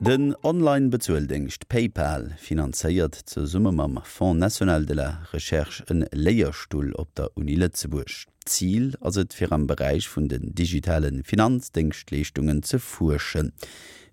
Den Online-Bezueldéngscht PayPal finanzéiert zesumme mam Fonds national de la recherche en Léierstull op der Uni Lëtzebuerg. Zil ass et fir am Beräich vun den digitale Finanzdéngschtleeschtungen ze fuerschen.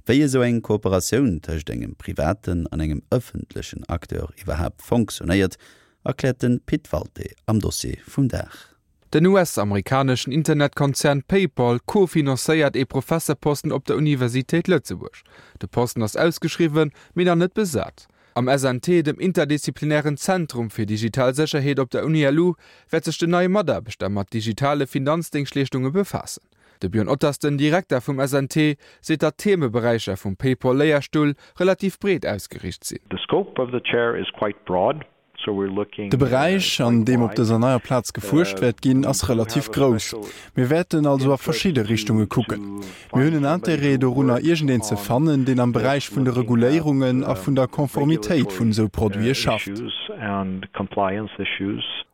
Wéi esou eng Kooperatioun tëscht engem privaten an engem ëffentlechen Acteur iwwerhaapt fonctionnéiert, erkläert de Pit Walté am Dossier vum Dag. Den US-amerikaneschen Internetkonzern PayPal co-financéiert ee Professerposten op der Universitéit Lëtzebuerg. De Posten ass ausgeschriwwen, mee nach net besat. Am SNT, dem interdisziplinären Zentrum fir digital Sécherheet op der UniLu, wäert sech den neie Mataarbechter mat digitale Finanzdéngschtleeschtunge befaassen. De Björn Ottersten, Direkter vum SNT, seet, datt d'Themeberäicher vum PayPal-Léierstull relativ breet ausgeriicht sinn. The scope of the chair is quite broad. De Beräich, an deem op dëser neier Plaz gefuerscht wäert ginn, ass relativ grouss. Mir wäerten also a verschidde Richtunge kucken. Mir hunn en Interêt dorunner, iergendeen ze fannen, deen am Beräich vun de Reguléierungen a vun der Konformitéit vun esou Produite schafft.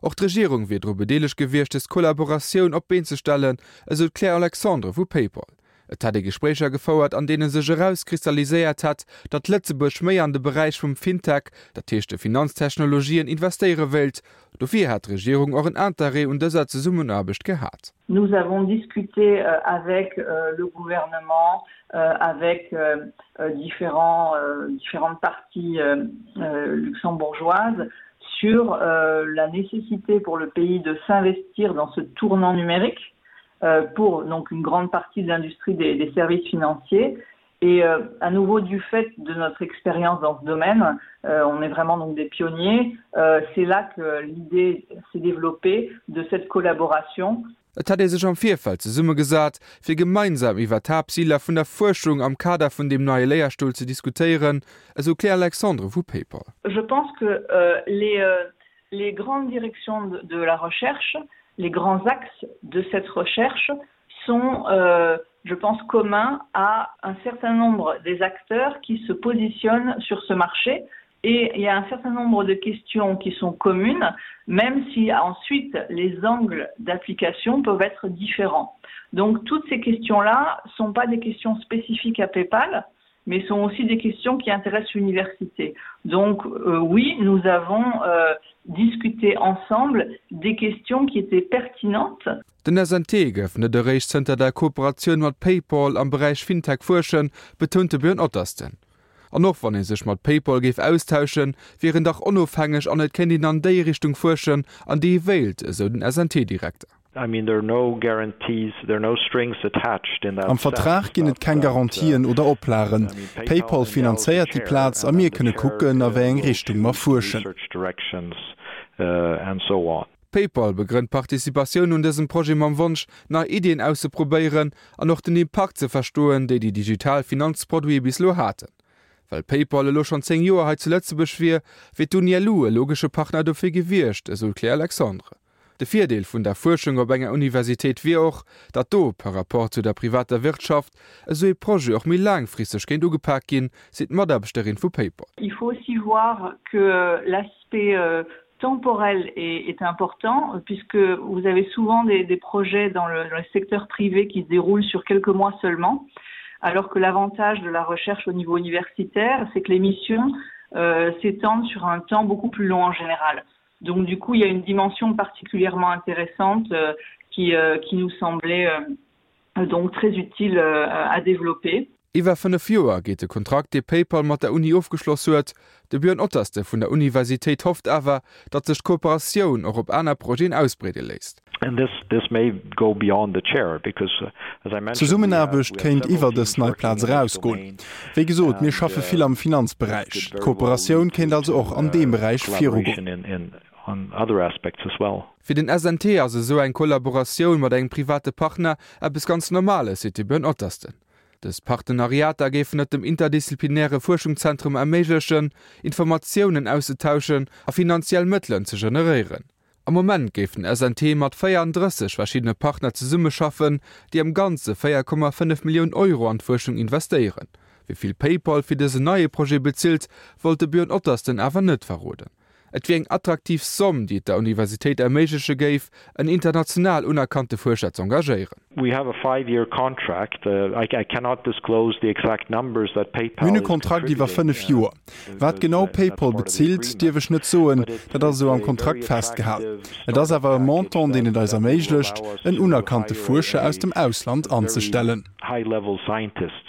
Och d'Regierung wier dru bedeelegt gewiescht, des Kollaboratioun op d'Been ze stellen, esou d'Claire Alexandre vu Paypal. Et hätt ee Gespréicher gefouert, an deene sech erauskristalliséiert hätt, datt Lëtzebuerg méi an de Beräich vum Fintech, dat heescht de Finanztechnologien, investéiere wéilt. Dofir hätt d'Regierung och en Interêt un dëser Zesummenaarbecht gehat. Nous avons discuté avec le gouvernement, avec différents différentes parties luxembourgeoises sur la nécessité pour le pays de s'investir dans ce tournant numérique Euh, pour donc une grande partie de l'industrie des, des services financiers. Et euh, à nouveau du fait de notre expérience dans ce domaine, euh, on est vraiment donc des pionniers, euh, c'est là que l'idée s'est développée de cette collaboration. Et hätt ee sech am Virfeld zesummegesat, fir gemeinsam iwwer d'Haaptziler vun der Fuerschung am Kader vun deem neie Léierstull ze diskutéieren, esou d'Claire Alexandre vu PayPal. Je pense que euh, les, euh, les grandes directions de, de la recherche, les grands axes de cette recherche sont, euh, je pense, communs à un certain nombre des acteurs qui se positionnent sur ce marché. Et il y a un certain nombre de questions qui sont communes, même si ensuite les angles d'application peuvent être différents. Donc toutes ces questions-là ne sont pas des questions spécifiques à PayPal, mais sont aussi des questions qui intéressent l'université. Donc euh, oui, nous avons euh, discuté ensemble des questions qui étaient pertinentes. Den SNT géif net eréischt zënter der Kooperatioun mat PayPal am Beräich Fintech fuerschen, betount de Björn Ottersten. An och wann ee sech mat PayPal géif austauschen, wier een dach onofhängeg an et kéint een an déi Richtung fuerschen, an déi ee wéilt, esou den SNT-Direkter. Am Vertrag ginn et keng Garantien oder Oplagen. PayPal finanzéiert déi Plaz a mir kënne kucken, a wéi eng Richtung mer fuerschen. PayPal begrënnt d'Participatioun un dësem Projet mam Wonsch, nei Iddien auszeprobéieren an och den Impakt ze verstoen, déi déi digital Finanzproduite bis elo haten. Well PayPal elo schonn 10 Joer hei zu Lëtzebuerg wier, wier d'UNILU e logesche Partner dofir gewiescht, esou d'Claire Alexandre. De Virdeel vun der Fuerschung op enger Universitéit wier och, datt do, par rapport zu der privater Wirtschaft, esou ee Projet och méi laangfristeg kéint ugepak ginn, seet d'Mataarbechterin vu PayPal. Il faut aussi voir que l'aspect temporel est important puisque vous avez souvent des, des projets dans le, dans le secteur privé qui se déroulent sur quelques mois seulement, alors que l'avantage de la recherche au niveau universitaire, c'est que les missions euh, s'étendent sur un temps beaucoup plus long en général. Donc du coup, il y a une dimension particulièrement intéressante euh, qui, euh, qui nous semblait euh, donc très utile euh, à développer. Iwwer 5 Joer geet de Kontrakt, dee PayPal mat der Uni ofgeschloss huet. De Björn Otterste vun der Universitéit hofft awer, datt sech d'Kooperatioun och op aner Projeten ausbreede léisst. D'Zesummenaarbecht kéint iwwer dës nei Plaz erausgoen. Wéi gesot, mir schaffe vill am Finanzberäich. D'Kooperatioun kéint also och an deem Beräich virugoen. Fir den SNT ass esou eng Kollaboratioun mat engem private Partner eppes ganz Normales, seet de Björn Ottersten. Dës Partenariater géifen et dem interdisziplinäre Fuerschungszentrum erméiglechen, Informatiounen auszetauschen a finanziell Mëttelen ze generéieren. Am Moment géif den SNT mat 34 verschiddene Partner zesummeschaffen, déi am Ganze 4,5 Millioun Euro an d'Fuerschung investéieren. Wéi vill PayPal fir dësen neie Projet bezilt, wollt de Björn Ottersten awer net verroden. Et wier eng attraktiv Somm, déi et der Universitéit erméigleche géif, en international unerkannte Fuerscher z'engagéieren. We have a five-year contract. I cannot disclose the exact numbers that PayPal Mir hunn e is Kontrakt iwwer contributing 5 Joer. Wat because genau that's PayPal part of the bezilt, agreement. dierf ech net soen, But it's dat ass it's esou am a very Kontrakt festgehalen. attractive Et ass startup awer e package Montant, deen that et eis that will erméiglecht, allow us en to unerkannte hire Fuerscher a aus dem Ausland very anzestellen. high-level scientist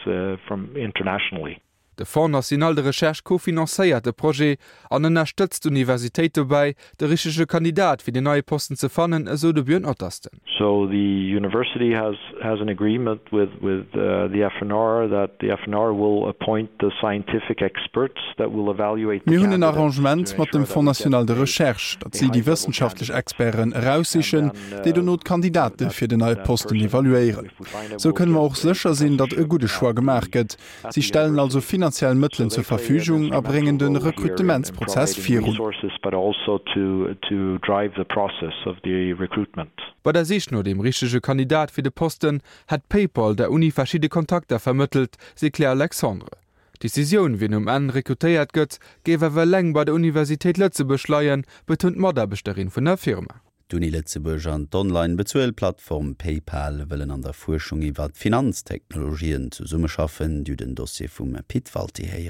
from internationally. De Fonds national de recherche cofinancéiert de Projet an ënnerstëtzt d'Universitéit dobäi, de richtege Kandidat fir deen neie Posten ze fannen, esou de Björn Ottersten. So the university has has an agreement with with the FNR that the FNR will appoint the scientific experts that will evaluate the Mir hunn en candidates to Arrangement mat ensure dem that Fonds we get national de a recherche, datt a si déi high level wëssenschaftlech candidate Experten and eraussichen, then déi dono d'Kandidate that fir den neie that Posten person evaluéieren. if we find it Sou will kënne mer get och a sécher sinn, datt e professorship gudde Choix at the gemaach gëtt. Si stellen also finanziell Mëttelen zur Verfügung a bréngen de Rekrutementsprozess virun. Bei der Sich no deem richtege Kandidat fir de Posten hätt PayPal der Uni verschidde Kontakter vermëttelt, seet d'Claire Alexandre. D'Decisioun, wien um Enn rekrutéiert gëtt, géif awer eleng bei der Universitéit Lëtzebuerg leien, betount d'Mataarbechterin vun der Firma. D'Uni Lëtzebuerg an d'Online-Bezuelplattform PayPal wëllen an der Fuerschung iwwer Finanztechnologien zesummeschaffen. Dir hutt en Dossier vum Pit Walté héieren.